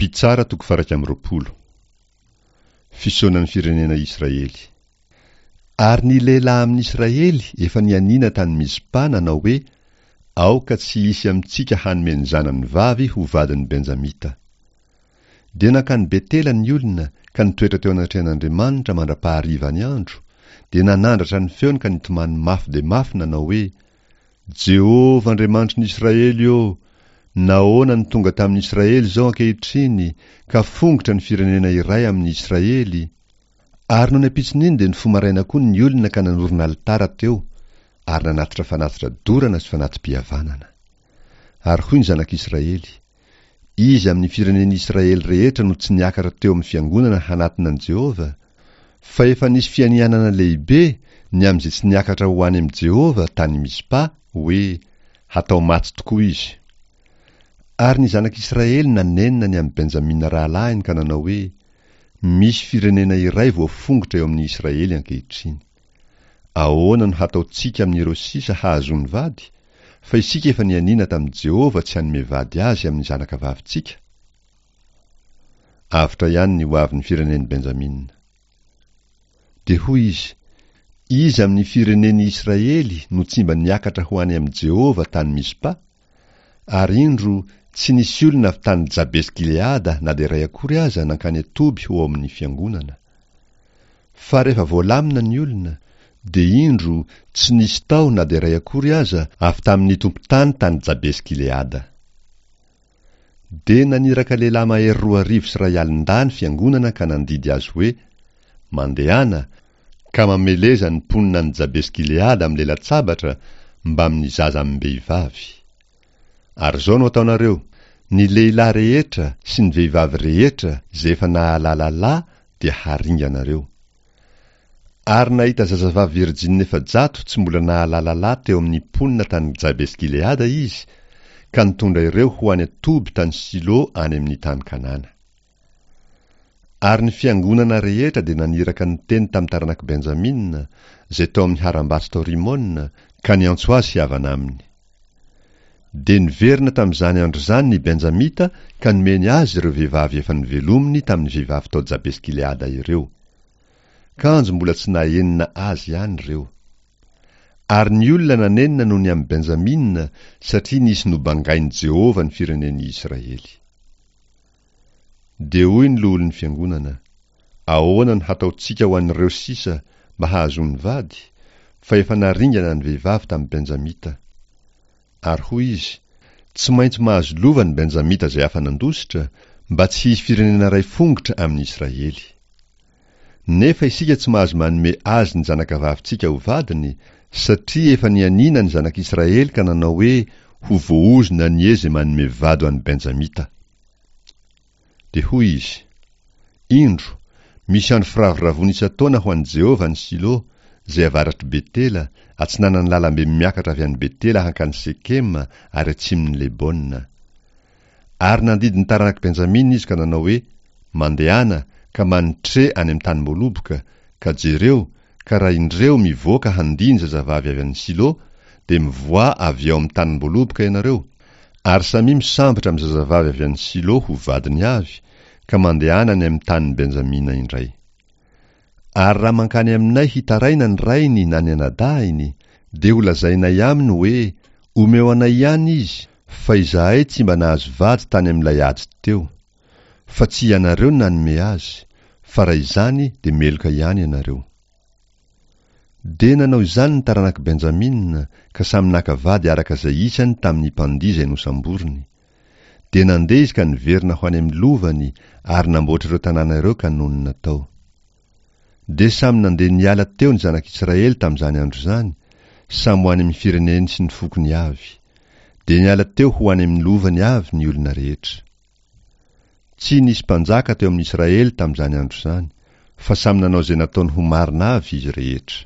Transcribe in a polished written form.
Mpitsara toko faha-21. Fisaonan'ny firenena Israely. Ary ny lehilahy amin'i Israely efa nianiana tany Mizpa nanao hoe, Aoka tsy hisy amintsika hanome ny zanany vavy ho vadin'ny Benjamita. Dia nankany Betela ny olona ka nitoetra teo anatrehan'Andriamanitra mandra-pahariva ny andro, dia nanandratra ny feony ka nitomany mafy dia mafy nanao hoe, Jehovah Andriamanitry ny Israely ô, nahoana no tonga tamin'ny Israely izao ankehitriny, ka fongotra ny firenena iray amin'ny Israely? Ary nony ampitson'iny dia nifoha maraina koa ny olona ka nanorina alitara teo, ary nanatitra fanatitra dorana sy fanati-pihavanana. Ary hoy ny zanak'Israely, Iza amin'ny firenen'i Israely rehetra no tsy niakatra teo amin'ny fiangonana hanatona an'i Jehovah? Fa efa nisy fianianana lehibe ny amin'izay tsy niakatra ho any amin'i Jehovah tany Mizpa, hoe, Hatao maty tokoa izy. Ary ny zanak'Israely nanenina ny amin'i Benjamina rahalahiny ka nanao hoe, Misy firenena iray voafongotra eo amin'ny Israely ankehitriny. Ahoana no hataontsika amin'ireo sisa hahazoany vady, fa isika efa nianiana tamin'i Jehovah tsy hanome vady azy amin'ny zanakavavintsika? Avotra ihany ny hoavin'ny firenen'i Benjamina. Dia hoy izy, Iza amin'ny firenen'i Israely no tsy mba niakatra ho any amin'i Jehovah tany Mizpa? Ary indro, tsy nisy olona avy tany Jabesy-Gileada na dia iray akory aza nankany an-toby ho ao amin'ny fiangonana. Fa rehefa voalamina ny olona, dia indro, tsy nisy tao na dia iray akory aza avy tamin'ny tompon-tany tany Jabesy-Gileada. Dia naniraka lehilahy mahery 2002 ny fiangonana ka nandidy azy hoe, Mandehana, ka mameleza ny mponina any Jabesy-Gileada amin'ny lela-tsabatra mbamin'ny zaza amim-behivavy. Ary izao no ataonareo, Ny lehilahy rehetra sy ny vehivavy rehetra izay efa nahalala lahy dia haringanareo. Ary nahita zazavavy virjiny 400 tsy mbola nahalala lahy teo amin'ny mponina tany Jabesy-Gileada izy, ka nitondra ireo ho any an-toby tany Silo any amin'ny tany Kanana. Ary ny fiangonana rehetra dia naniraka niteny tamin'ny taranak'i Benjamina, izay tao amin'ny harambato tao Rimona, ka niantso azy hihavana aminy. Dia niverina tamin'izany andro izany ny Benjamita ka nomeny azy ireo vehivavy efa novelominy tamin'ny vehivavy tao Jabesy-Gileada ireo. Kanjo mbola tsy nahenina azy ihany ireo. Ary ny olona nanenina noho ny amin'i Benjamina, satria nisy nobangain'i Jehovah ny firenen'i Israely. Dia hoy ny loholon'ny fiangonana, Ahoana no hataontsika ho an'ireo sisa mba hahazoany vady, fa efa naringana ny vehivavy tamin'ny Benjamita? Ary hoy izy, Tsy maintsy mahazo lova ny Benjamita izay afa-nandositra, mba tsy hisy firenena iray fongotra amin'i Israely. Nefa isika tsy mahazo manome azy ny zanakavavintsika ho vadiny, satria efa nianiana ny zanak'Israely ka nanao hoe, Ho voaozona anie izay manome vady ho an'ny Benjamita. Dia hoy izy, Indro, misy andro firavoravoana isan-taona ho an'i Jehovah any Silo, izay avaratr'i Betela, atsinanan'ny lalambe miakatra avy any Betela hankany Sekema ary atsimon'i Lebona. Ary nandidy ny taranak'i Benjamina izy ka nanao hoe, Mandehana, ka manitre any amin'ny tanim-boaloboka, ka jereo, ka raha indreo mivoaka handia ny zazavavy avy any Silo, dia mivoaha avy ao amin'ny tanim-boaloboka ianareo, ary samia misambotra amin'ny zazavavy avy any Silo ho vadiny avy, ka mandehana any amin'ny tanin'i Benjamina indray. Ary raha mankany aminay hitaraina ny rainy na ny anadahiny, dia holazainay aminy hoe, Omeo anay ihany izy, fa izahay tsy mba nahazo vady tany amin'ilay ady teo. Fa tsy ianareo no nanome azy, fa raha izany dia meloka ihany ianareo. Dia nanao izany ny taranak'i Benjamina, ka samy naka vady araka izay isany tamin'ny mpandihy izay nosamboriny. Dia nandeha izy ka niverina ho any amin'ny lovany ary namboatra ireo tanàna ireo ka nonina tao. Dia samy nandeha niala teo ny zanak'Israely tamin'izany andro izany, samy ho any amin'ny fireneny sy ny fokony avy. Dia niala teo ho any amin'ny lovany avy ny olona rehetra. Tsy nisy mpanjaka teo amin'Israely tamin'izany andro izany, fa samy nanao izay nataony ho marina avy izy rehetra.